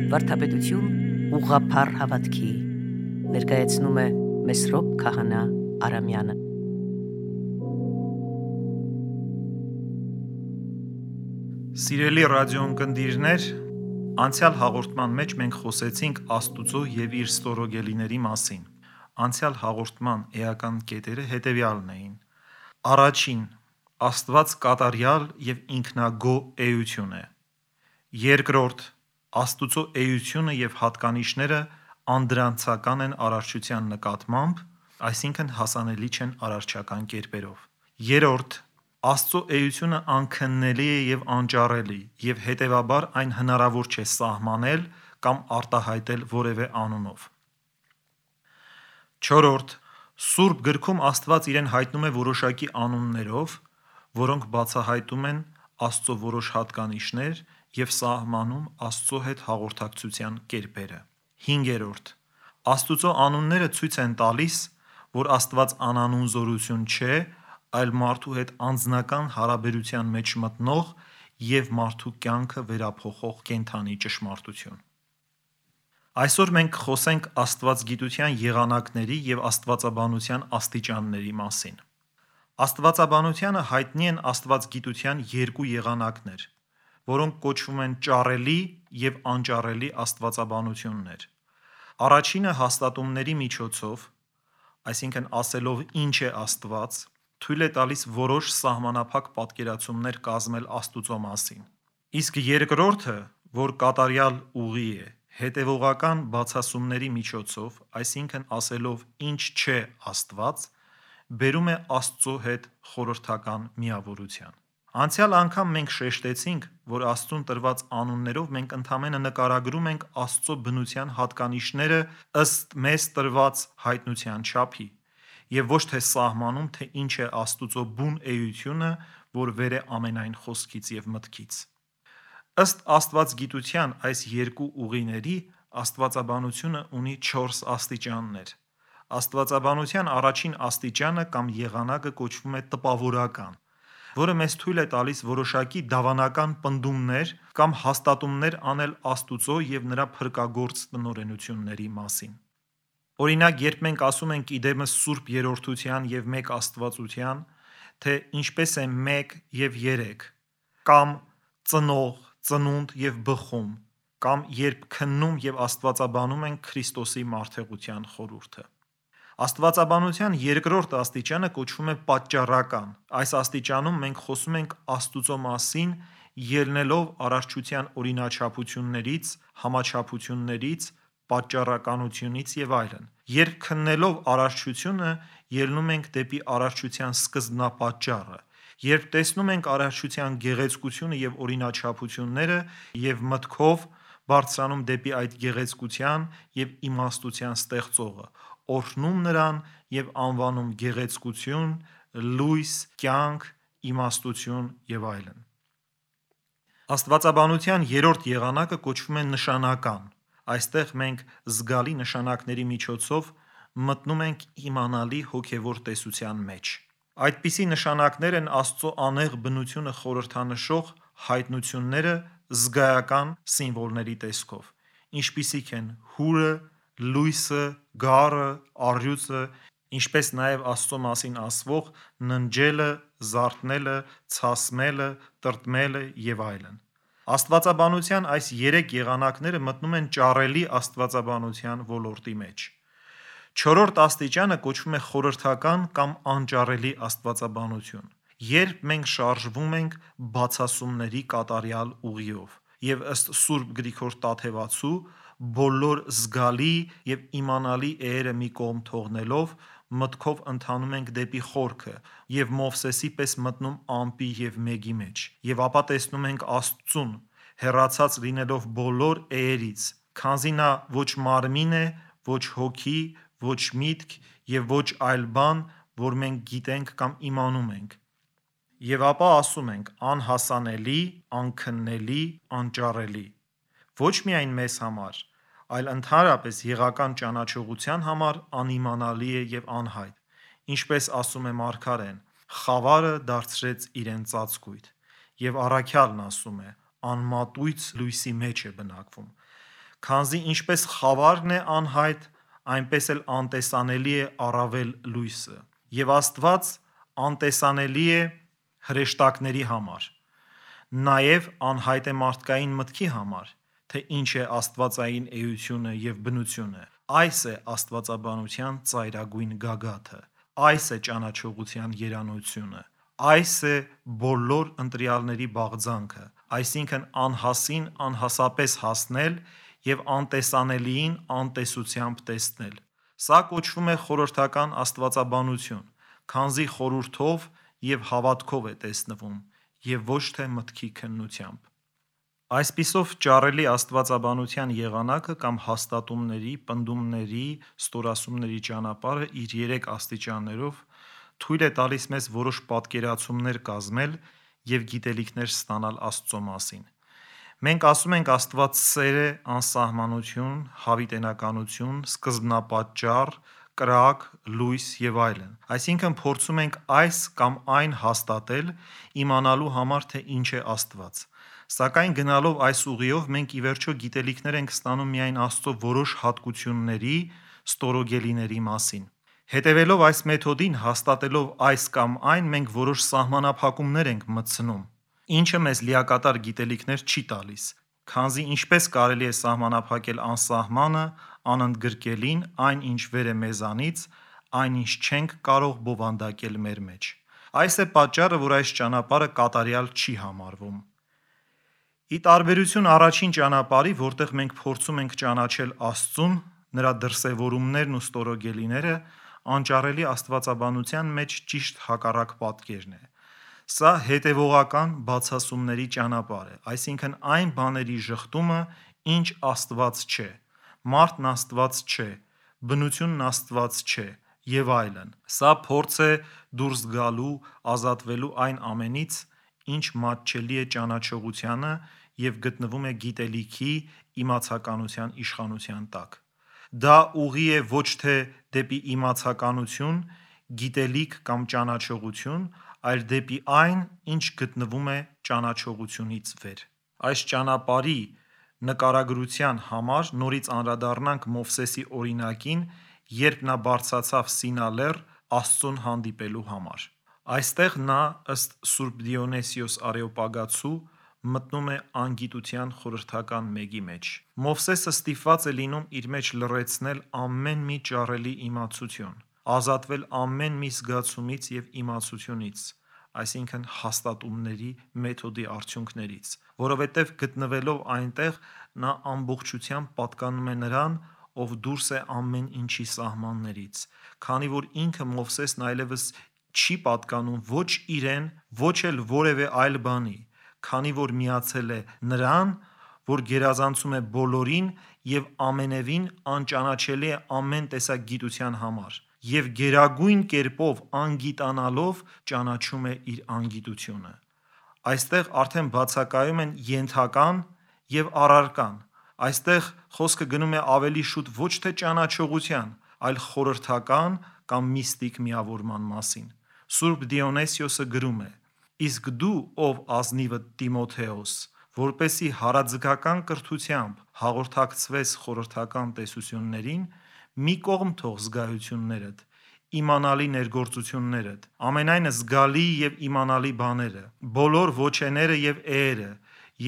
Վարդապետություն ուղղափառ հավատքի ներկայացնում է Մեսրոպ Քահանա Արամյանը։ Սիրելի ռադիոընկերներ, անցյալ հաղորդման մեջ մենք խոսեցինք Աստուծո եւ իր ստորոգելիների մասին։ Անցյալ հաղորդման էական կետերը հետևյալն էին. Առաջին, Աստված կատարյալ եւ ինքնագոհ էություն է։ Երկրորդ, Աստուծո էությունը եւ հատկանիշները անդրանցական են արարչության նկատմամբ, այսինքն հասանելի չեն արարչական կերպերով։ Երրորդ, Աստծո էությունը անքննելի է եւ անճարելի, եւ հետեւաբար այն հնարավոր չէ սահմանել կամ արտահայտել որևէ անունով։ Չորրորդ, Սուրբ գրքում Աստված իրեն հայտնում է որոշակի անուններով, որոնք բացահայտում են Աստծո որոշ հատկանիշներ եւ սահմանում Աստծո հետ հաղորդակցության կերպերը։ Հինգերորդ, Աստուծո անունները ցույց են տալիս, որ Աստված անանուն զորություն չէ, այլ մարդու հետ անձնական հարաբերության մեջ մտնող եւ մարդու կյանքը վերափոխող կենդանի ճշմարտություն։ Այսօր մենք խոսենք աստվածգիտության եղանակների եւ աստվածաբանության աստիճանների մասին։ Աստվածաբանությանը հայտնի են աստվածգիտության երկու եղանակներ, որոնք կոչվում են ճառելի եւ անճառելի աստվածաբանություններ։ Առաջինը հաստատումների միջոցով, այսինքն ասելով ինչ է Աստված, թույլ է տալիս որոշ սահմանափակ պատկերացումներ կազմել Աստուծո մասին։ Իսկ երկրորդը, որ կատարյալ ուղի է, հետևողական բացասումների միջոցով, այսինքն ասելով ինչ չէ Աստված, բերում է Աստծո հետ խորհրդական միավորության։ Անցյալ անգամ մենք շեշտեցինք, որ Աստծուն տրված անուններով մենք ընդամենը նկարագրում ենք Աստծո բնության հատկանիշները ըստ մեզ տրված հայտնության չափի, եւ ոչ թե սահմանում, թե ինչ է Աստուծո բուն էությունը, որ վեր է ամենայն խոսքից եւ մտքից։ Ըստ աստվածգիտության այս երկու ուղիների աստվածաբանությունը ունի 4 աստիճաններ։ Աստվածաբանության առաջին աստիճանը կամ եղանակը կոչվում է տպավորական, որը մեզ թույլ է տալիս որոշակի դավանական պնդումներ կամ հաստատումներ անել Աստուծո եւ նրա փրկագործ տնօրենությունների մասին։ Օրինակ, երբ մենք ասում ենք իդեմս Սուրբ Երրորդության եւ մեկ Աստվածության, թե ինչպես է 1 եւ 3, կամ ծնող, ծնունդ եւ բխում, կամ երբ քննում եւ աստվածաբանում ենք Քրիստոսի մարդեղության խորհուրդը։ Աստվածաբանության երկրորդ աստիճանը կոչվում է պատճառական։ Այս աստիճանում մենք խոսում ենք Աստուծո մասին ելնելով արարչության օրինաչափություններից, համաչափություններից, պատճառականությունից եւ այլն։ Երբ քննելով արարչությունը, ելնում ենք դեպի արարչության սկզբնապատճառը։ Երբ տեսնում ենք արարչության գեղեցկությունը եւ օրինաչափությունները եւ մտքով բարձրանում դեպի այդ գեղեցկության եւ իմաստության ստեղծողը, օրհնում նրան եւ անվանում գեղեցկություն, լույս, կյանք, իմաստություն եւ այլն։ Աստվածաբանության երրորդ եղանակը կոչվում է նշանական։ Այստեղ մենք զգալի նշանակների միջոցով մտնում ենք իմանալի հոգևոր տեսության մեջ։ Այդպիսի նշանակներ են Աստծո անեղ բնությունը խորհրդանշող հայտնությունները զգայական սիմվոլների տեսքով, ինչպիսիք են հուրը, լույսը, գառը, առյուծը, ինչպես նաև Աստծո մասին ասվող ննջելը, զարթնելը, ցասմելը, տրտմելը եւ այլն։ Աստվածաբանության այս 3 եղանակները մտնում են ճառելի աստվածաբանության ոլորտի մեջ։ Չորրորդ աստիճանը կոչվում է խորհրդական կամ անճառելի աստվածաբանություն, երբ մենք շարժվում ենք բացասումների կատարյալ ուղիով եւ ըստ Սուրբ Գրիգոր Տաթևացու բոլոր զգալի եւ իմանալի էերը մի կողմ թողնելով մտքով ընթանում ենք դեպի խորքը եւ Մովսեսի պես մտնում ամպի եւ մեգի մեջ եւ ապա տեսնում ենք Աստծուն հեռացած լինելով բոլոր էերից, քանզի նա ոչ մարմին է, ոչ հոգի, ոչ միտք եւ ոչ այլ բան, որ մենք գիտենք կամ իմանում ենք։ Եվ ապա ասում ենք անհասանելի, անքննելի, անճառելի։ Ոչ միայն մեզ համար, այլ ընդհանրապես եղական ճանաչողության համար անիմանալի է եւ անհայտ, ինչպես ասում է Մարգարեն. խավարը դարձրեց իրեն ծածկույթ, եւ առաքյալն ասում է. անմատույց լույսի մեջ է բնակվում։ Քանզի ինչպես խավարն է անհայտ, այնպես էլ անտեսանելի է առավել լույսը, եւ Աստված անտեսանելի է հրեշտակների համար, նաեւ անհայտ է մարդկային մտքի համար, թե ինչ է աստվածային էությունը եւ բնությունը։ Այս է աստվածաբանության ծայրագույն գագաթը, այս է ճանաչողության երանությունը, այս է բոլոր ընտրյալների բաղձանքը, այսինքն անհասին անհասապես հասնել եւ անտեսանելիին անտեսությամբ տեսնել։ Սա կոչվում է խորհրդական աստվածաբանություն, քանզի խորհուրդով եւ հավատքով է տեսնվում եւ ոչ թե մտքի քննությամբ։ Այսպիսով ճառելի աստվածաբանության եղանակը կամ հաստատումների, պնդումների, ստորասումների ճանապարհը իր 3 աստիճաններով թույլ է տալիս մեզ որոշ պատկերացումներ կազմել եւ գիտելիքներ ստանալ Աստծո մասին։ Մենք ասում ենք Աստված սեր է, անսահմանություն, հավիտենականություն, սկզբնապատճառ, կրակ, լույս եւ այլն։ Այսինքն փորձում ենք այս կամ այն հաստատել, իմանալու համար, թե ինչ է Աստված։ Սակայն գնալով այս ուղիով մենք ի վերջո գիտելիքներ ենք ստանում միայն Աստծո որոշ հատկությունների, ստորոգելիների մասին։ Հետևելով այս մեթոդին, հաստատելով այս կամ այն, մենք որոշ սահմանափակումներ ենք մտցնում, ինչը մեզ լիակատար գիտելիքներ չի տալիս, քանզի ինչպես կարելի է սահմանափակել անսահմանը, անընդգրկելին, այն ինչ վեր է մեզանից, այն ինչ չենք կարող բովանդակել մեր մեջ։ Այս է պատճառը, որ այս ճանապարհը կատարյալ չի համարվում։ Ի տարբերություն առաջին ճանապարհի, որտեղ մենք փորձում ենք ճանաչել Աստծուն, նրա դրսևորումներն ու ստորոգելիները, անճառելի աստվածաբանության մեջ ճիշտ հակառակ պատկերն է։ Սա հետևողական բացասումների ճանապարհ է, այսինքն այն բաների ժխտումը, ինչ Աստված չէ, մարդն Աստված չէ, բնությունն Աստված չէ եւ այլն։ Սա փորձ է դուրս գալու, ազատվելու այն ամենից, ինչ մատչելի է ճանաչողությանը եւ գտնվում է գիտելիքի, իմացականության իշխանության տակ։ Դա ուղի է ոչ թե դեպի իմացականություն, գիտելիք կամ ճանաչողություն, այլ դեպի այն, ինչ գտնվում է ճանաչողությունից վեր։ Այս ճանապարհի նկարագրության համար նորից անդրադառնանք Մովսեսի օրինակին, երբ նա բարձրացավ Սինա լեռ Աստծուն հանդիպելու համար։ Այստեղ նա, ըստ Սուրբ Դիոնիսիոս Արեոպագացու, մտնում է անգիտության խորհրդական մեգի մեջ։ Մովսեսը ստիպված է լինում իր մեջ լռեցնել ամեն մի ճառելի իմացություն, ազատվել ամեն մի զգացումից եւ իմացությունից, այսինքն հաստատումների մեթոդի արդյունքներից, որովհետև գտնվելով այնտեղ նա ամբողջությամբ պատկանում է նրան, ով դուրս է ամեն ինչի սահմաններից, քանի որ ինքը Մովսեսն այլևս չի պատկանում ոչ իրեն, ոչ էլ որևէ այլ բանի, քանի որ միացել է նրան, որ գերազանցում է բոլորին եւ ամենևին անճանաչելի է ամեն տեսակ գիտության համար, եւ գերագույն կերպով անգիտանալով ճանաչում է իր անգիտությունը։ Այստեղ արդեն բացակայում են ենթական եւ առարկան։ Այստեղ խոսքը գնում է ավելի շուտ ոչ թե ճանաչողության, այլ խորհրդական կամ միստիկ միավորման մասին։ Սուրբ Դիոնիսիոսը գրում է. «Իսկ դու, ով ազնիվը Տիմոթեոս, որպեսի հարաձգական կրթությամբ հաղորդակցվես խորհրդական տեսություններին, մի կողմ թող զգայություններդ, իմանալի ներգործություններդ, ամենայն զգալի եւ իմանալի բաները, բոլոր ոչեները եւ էերը,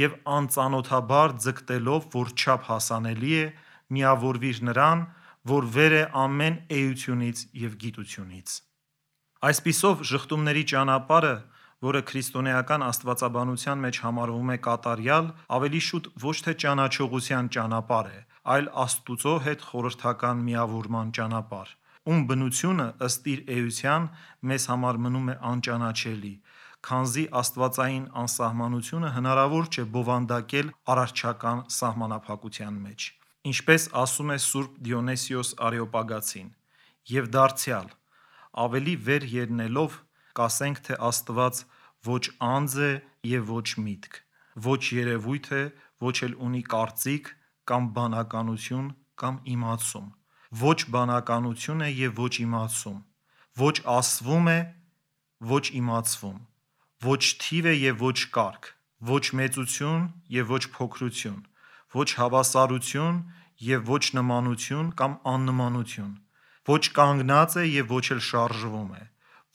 եւ անծանոթաբար ձգտելով, որ չափ հասանելի է, միավորվիր նրան, որ վեր է ամեն էությունից եւ գիտությունից»։ Այսպիսով ժխտումների ճանապարհը, որը քրիստոնեական աստվածաբանության մեջ համարվում է կատարյալ, ավելի շուտ ոչ թե ճանաչողության ճանապարհ է, այլ Աստուծո հետ խորհրդական միավորման ճանապարհ, ում բնությունը ըստ իր էության մեզ համար մնում է անճանաչելի, քանզի աստվածային անսահմանությունը հնարավոր չէ բովանդակել արարչական սահմանափակության մեջ։ Ինչպես ասում է Սուրբ Դիոնիսիոս Արեոպագացին. «Եվ դարձյալ, ավելի վեր ելնելով, կասենք, թե Աստված ոչ անձ է եւ ոչ միտք, ոչ երևույթ է, ոչ էլ ունի կարծիք կամ բանականություն կամ իմացում, ոչ բանականություն է եւ ոչ իմացում, ոչ ասվում է, ոչ իմացվում, ոչ թիվ է եւ ոչ կարգ, ոչ մեծություն եւ ոչ փոքրություն, ոչ հավասարություն և ոչ նմանություն կամ աննմանություն, ոչ կանգնած է և ոչ էլ շարժվում է,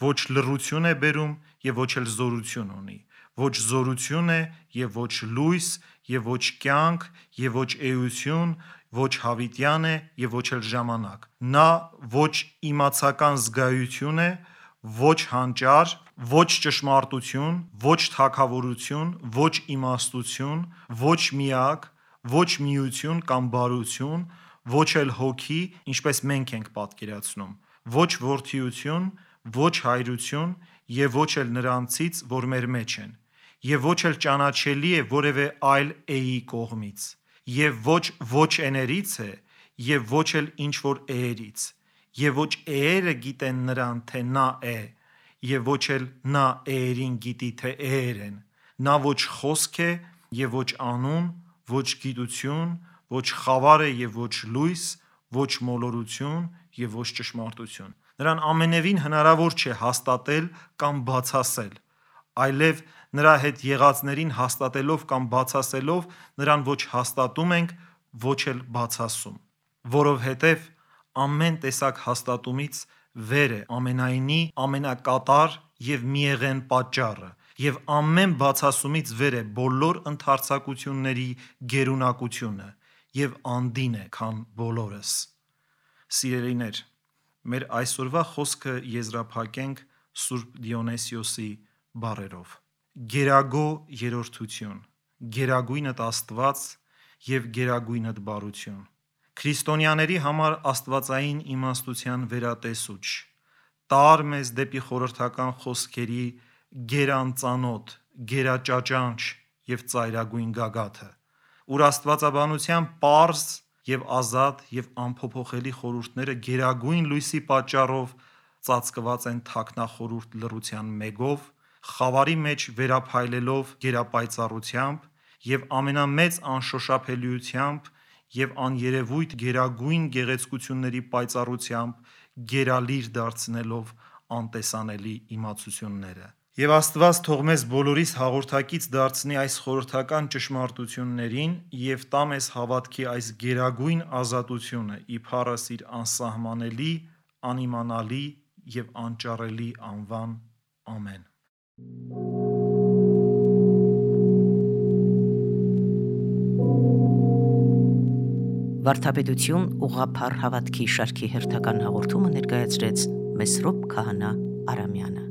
ոչ լռություն է բերում և ոչ էլ զորություն ունի, ոչ զորություն է և ոչ լույս և ոչ կյանք և ոչ էություն, ոչ հավիտյան է և ոչ էլ ժամանակ, նա ոչ իմացական զգայություն է, ոչ հանճար, ոչ ճշմարտություն, ոչ թագավորություն, ոչ իմաստություն, ոչ միակ, ոչ միություն կամ բարություն, ոչ էլ հոգի, ինչպես մենք ենք պատկերացնում, ոչ որդիություն, ոչ հայրություն և ոչ էլ նրանցից, որ մեր մեջ են, և ոչ էլ ճանաչելի է որևէ այլ էի կողմից, և ոչ էներից է, և ոչ էլ ինչ-որ էներից, և ոչ էերը գիտեն նրան, թե նա է, և ոչ էլ նա էերին գիտի, թե էեր են, նա ոչ խոսք է և ոչ անուն, ոչ գիտություն, ոչ խավար է և ոչ լույս, ոչ մոլորություն և ոչ ճշմարտություն, նրան ամենևին հնարավոր չէ հաստատել կամ բացասել, այլև նրա հետ եղածներին հաստատելով կամ բացասելով նրան ոչ հաստատում ենք, ոչ էլ բացասում, որովհետև ամեն տեսակ հաստատումից վեր է ամենայնի ամենակատար և միեղեն պատճառը, և ամեն բացասումից վեր է բոլոր ընդարձակությունների գերունակությունը և անդին է, քան բոլորս: Սիրելիներ, մեր այսօրվա խոսքը եզրափակենք Սուրբ Դիոնիսիոսի բառերով. Գերագո երրորդություն, գերագույնդ Աստված և գերագույնդ բարություն, քրիստոնյաների համար աստվածային իմաստության վերատեսուչ, տար մեզ դեպի խորհրդական խոսքերի գերանծանոթ, գերաճաճանչ և ծայրագույն գագաթը, ուր աստվածաբանության պարզ և ազատ և անփոփոխելի խորհուրդները գերագույն լույսի պատճառով ծածկված են թաքնախորուրդ լռության մեգով, խավարի մեջ վերափայլելով գերապայծառությամբ և ամենամեծ անշոշափելիությամբ և աներևույթ գերագույն գեղեցկությունների պայծառությամբ գերալիր դարձնելով անտեսանելի իմացությունները: Եվ Աստված թող մեզ բոլորիս հաղորդակից դարձնի այս խորհրդական ճշմարտություններին և տա մեզ հավատքի այս գերագույն ազատությունը ի փառս իր անսահմանելի, անիմանալի և անճառելի անվան: Ամեն: Վարդապետություն ուղղափառ հավատքի շարքի հերթական հաղորդումը ներկայացրեց Մեսրոպ Քահանա Արամյանը: